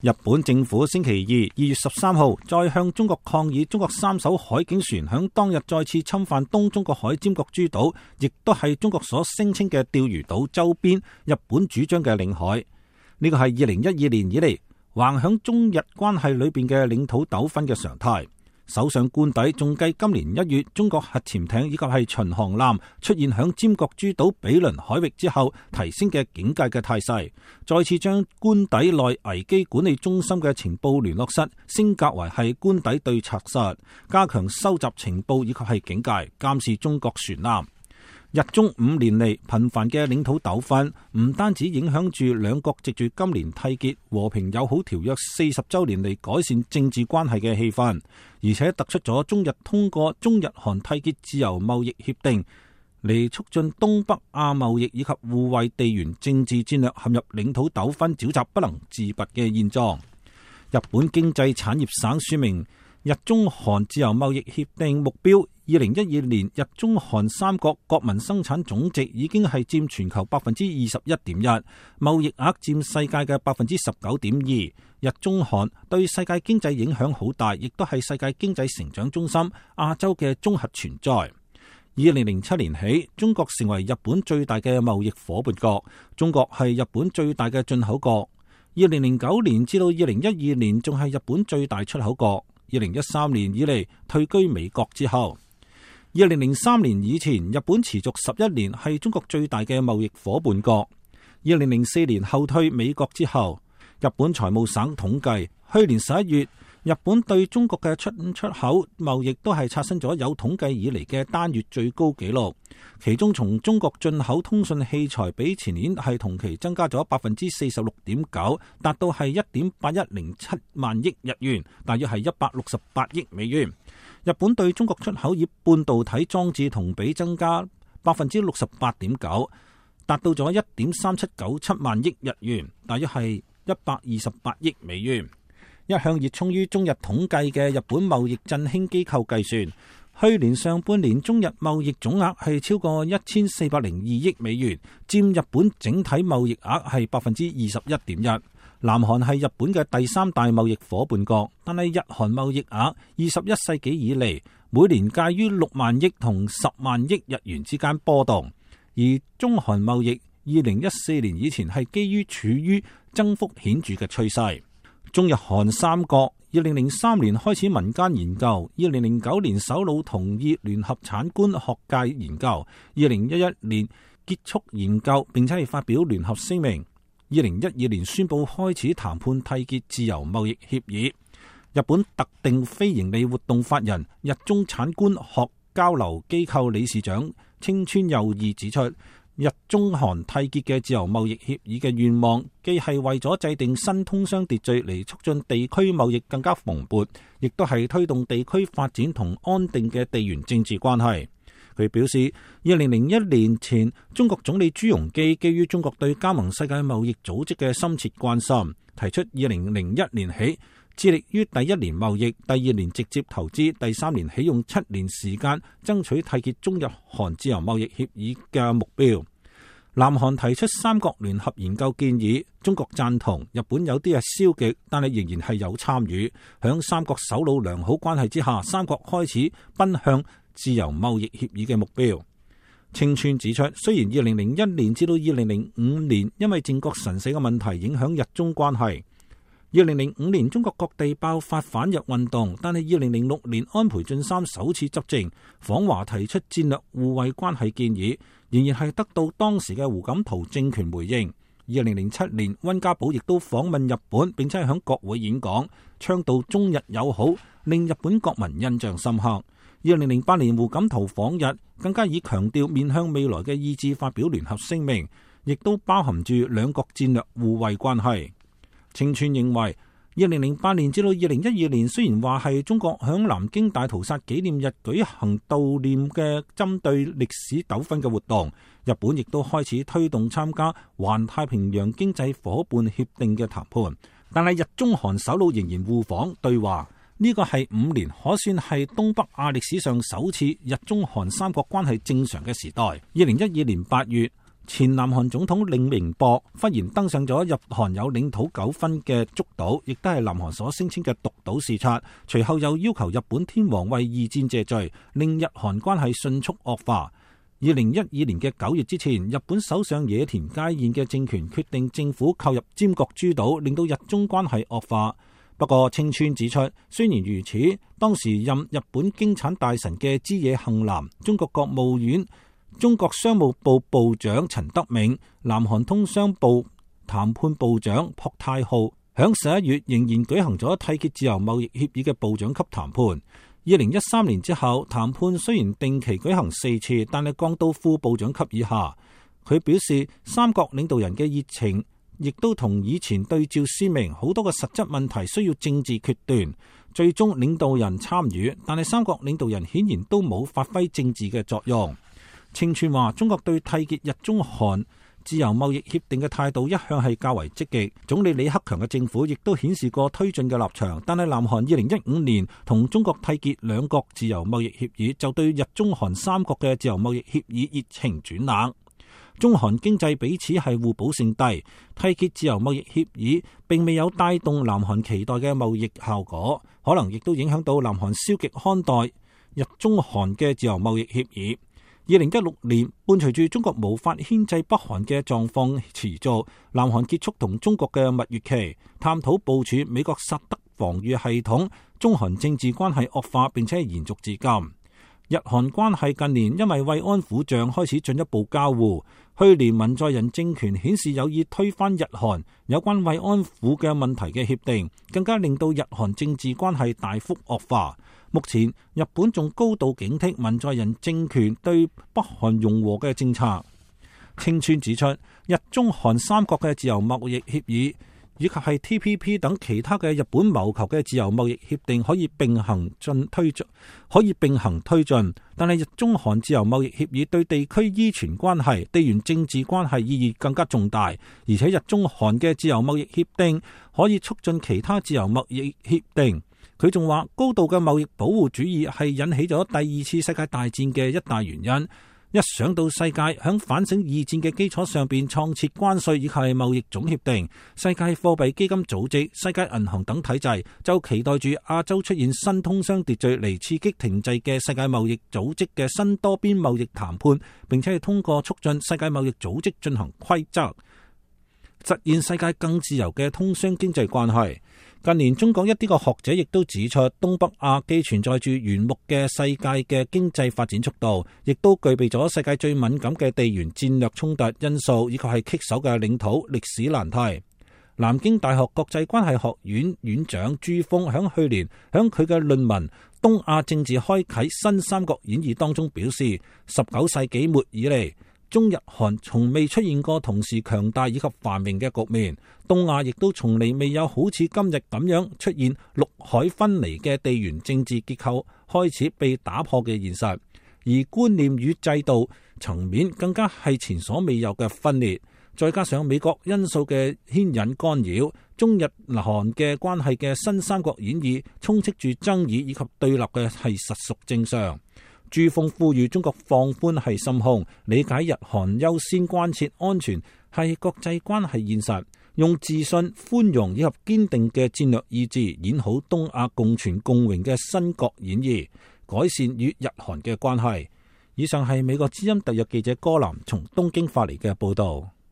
日本政府星期2月13號再向中國抗議中國3艘海警船響當日再次侵犯東中國海尖閣諸島，亦都係中國所聲稱嘅釣魚島周邊日本主張嘅領海。呢個係2012年以嚟橫響中日關係裏邊嘅領土糾紛嘅常態。首相官邸仲繼今年1月中國核潛艇以及係巡航艦出現響尖閣諸島比鄰海域之後，提升嘅警戒嘅態勢，再次將官邸內危機管理中心嘅情報聯絡室升格為係官邸對策室，加強收集情報以及係警戒監視中國船艦。日中5年嚟頻繁嘅領土糾紛，唔單止影響住兩國藉住今年締結和平友好條約40週年嚟改善政治關係嘅氣氛，而且突出咗中日通過中日韓締結自由貿易協定嚟促進東北亞貿易以及互惠地緣政治戰略陷入領土糾紛沼澤不能自拔嘅現狀。日本經濟產業省說明，日中韓自由貿易協定目標2012年日中韓三國國民生產總值已經係佔全球 21.1%， 貿易額佔世界嘅 19.2%。日中韓對世界經濟影響好大，亦都係世界經濟成長中心亞洲嘅綜合存在。2007年起，中國成為日本最大嘅貿易夥伴國，中國係日本最大嘅進口國。2009年至到2012年仲係日本最大出口國。2013年以嚟退居美國之後，2003年以前日本持續11年係中國最大嘅貿易夥伴國。2004年後退美國之後，日本財務省統計，去年11月日本對中國嘅出口貿易都係刷新咗有統計以嚟嘅單月最高紀錄。其中從中國進口通訊器材比前年係同期增加咗 46.9%， 達到係 1.8107 萬億日元，大約係168億美元。日本對中國出口以半導體裝置同比增加 68.9%， 達到咗 1.3797 萬億日元，大約係128億美元。一向熱衷於中日統計嘅日本貿易振興機構計算，去年上半年中日貿易總額係超過1402億美元，佔日本整體貿易額係 21.1%。南韓係日本嘅第3大貿易夥伴國，但係日韓貿易額21世紀以嚟每年介於6萬億同10萬億日元之間波動，而中韓貿易2014年以前係基於處於增幅顯著嘅趨勢。中日韓三國2003年開始民間研究，2009年首腦同意聯合產官學界研究，2011年結束研究並且係發表聯合聲明，2012年宣布開始談判締結自由貿易協議。日本特定非營利活動法人日中產官學交流機構理事長清川佑二指出，日中韓締結嘅自由貿易協議嘅願望，既係為咗制定新通商秩序嚟促進地區貿易更加蓬勃，亦都係推動地區發展同安定嘅地緣政治關係。佢表示，2001年前，中國總理朱鎔基基於中國對加盟世界貿易組織嘅深切關心，提出2001年起致力於第1年貿易，第2年直接投資，第3年起用7年時間爭取締結中日韓自由貿易協議嘅目標。南韓提出三國聯合研究建議，中國贊同，日本有啲係消極，但係仍然係有參與。響三國首腦良好關係之下，三國開始奔向自由貿易協議嘅目標。清川指出，雖然2001年至到2005年因為靖國神社嘅問題影響日中關係，2005年中國各地爆發反日運動，但係2006年安倍晉三首次執政訪華提出戰略互惠關係建議，仍然係得到當時嘅胡錦濤政權回應。2007年溫家寶亦都訪問日本，並且係響國會演講，倡導中日友好，令日本國民印象深刻。2008年胡錦濤訪日，更加以強調面向未來嘅意志發表聯合聲明，亦都包含住兩國戰略互惠關係。清川認為，2008年至到2012年雖然話係中國響南京大屠殺紀念日舉行悼念嘅針對歷史糾紛嘅活動，日本亦都開始推動參加環太平洋經濟夥伴協定嘅談判，但係日中韓首腦仍然互訪對話。呢個係5年，可算係東北亞歷史上首次日中韓三國關係正常嘅時代。2012年8月，前南韓總統李明博忽然登上咗日韓有領土糾紛嘅竹島，亦都係南韓所聲稱嘅獨島視察。隨後又要求日本天皇為二戰謝罪，令日韓關係迅速惡化。2012年嘅9月之前，日本首相野田佳彥嘅政權決定政府購入尖閣諸島，令到日中關係惡化。不過清川指出，雖然如此，當時任日本經產大臣嘅枝野幸男、中國國務院中國商務部部長陳德銘、南韓通商部談判部長朴泰浩響11月仍然舉行咗締結自由貿易協議嘅部長級談判。2013年之後，談判雖然定期舉行4次，但係降到副部長級以下。佢表示，三國領導人嘅熱情亦都同以前對照鮮明，好多嘅實質問題需要政治決斷，最終領導人參與，但係三國領導人顯然都冇發揮政治嘅作用。清川話，中國對締結日中韓自由貿易協定嘅態度一向係較為積極，總理李克強嘅政府亦都顯示過推進嘅立場。但係南韓2015年同中國締結兩國自由貿易協議，就對日中韓三國嘅自由貿易協議熱情轉冷。中韓經濟彼此係互補勝低，締結自由貿易協議並未有帶動南韓期待嘅貿易效果，可能亦都影響到南韓消極看待日中韓嘅自由貿易協議。2016年，伴隨住中國無法牽制北韓嘅狀況持續，南韓結束同中國嘅蜜月期，探討部署美國薩德防禦系統，中韓政治關係惡化並且延續至今。日韓關係近年因為慰安婦像開始進一步交互，去年文在寅政權顯示有意推翻日韓有關慰安婦嘅問題嘅協定，更加令到日韓政治關係大幅惡化。目前日本仲高度警惕文在寅政權對北韓融和嘅政策。清川指出，日中韓三國嘅自由貿易協議以及係 TPP 等其他嘅日本謀求嘅自由貿易協定可以並行推進，但係日中韓自由貿易協議對地區依存關係、地緣政治關係意義更加重大，而且日中韓嘅自由貿易協定可以促進其他自由貿易協定。佢仲話，高度嘅貿易保護主義係引起咗第二次世界大戰嘅一大原因。一想到世界響反省二戰嘅基礎上邊創設關稅以及貿易總協定、世界貨幣基金組織、世界銀行等體制，就期待住亞洲出現新通商秩序嚟刺激停滯嘅世界貿易組織嘅新多邊貿易談判，並且係通過促進世界貿易組織進行規則，實現世界更自由嘅通商經濟關係。近年中國一啲嘅學者亦都指出，東北亞既存在住原木嘅世界嘅經濟發展速度，亦都具備咗世界最敏感嘅地緣戰略衝突因素，以及係棘手嘅領土歷史難題。南京大學國際關係學院院長朱峰響去年響佢嘅論文《東亞政治開啟新三國演義》當中表示，19世紀末以嚟，中日韓從未出現過同時強大以及繁榮嘅局面，東亞亦都從嚟未有好似今日咁樣出現陸海分離嘅地緣政治結構開始被打破嘅現實，而觀念與制度層面更加係前所未有嘅分裂，再加上美國因素嘅牽引干擾，中日韓嘅關係嘅新三國演義充斥住爭議以及對立嘅係實屬正常。朱峰呼籲中國放寬係心胸，理解日韓優先關切安全係國際關係現實，用自信、寬容以及堅定嘅戰略意志演好東亞共存共榮嘅新國演義，改善與日韓嘅關係。以上係美國之音特約記者柯南從東京發嚟嘅報道。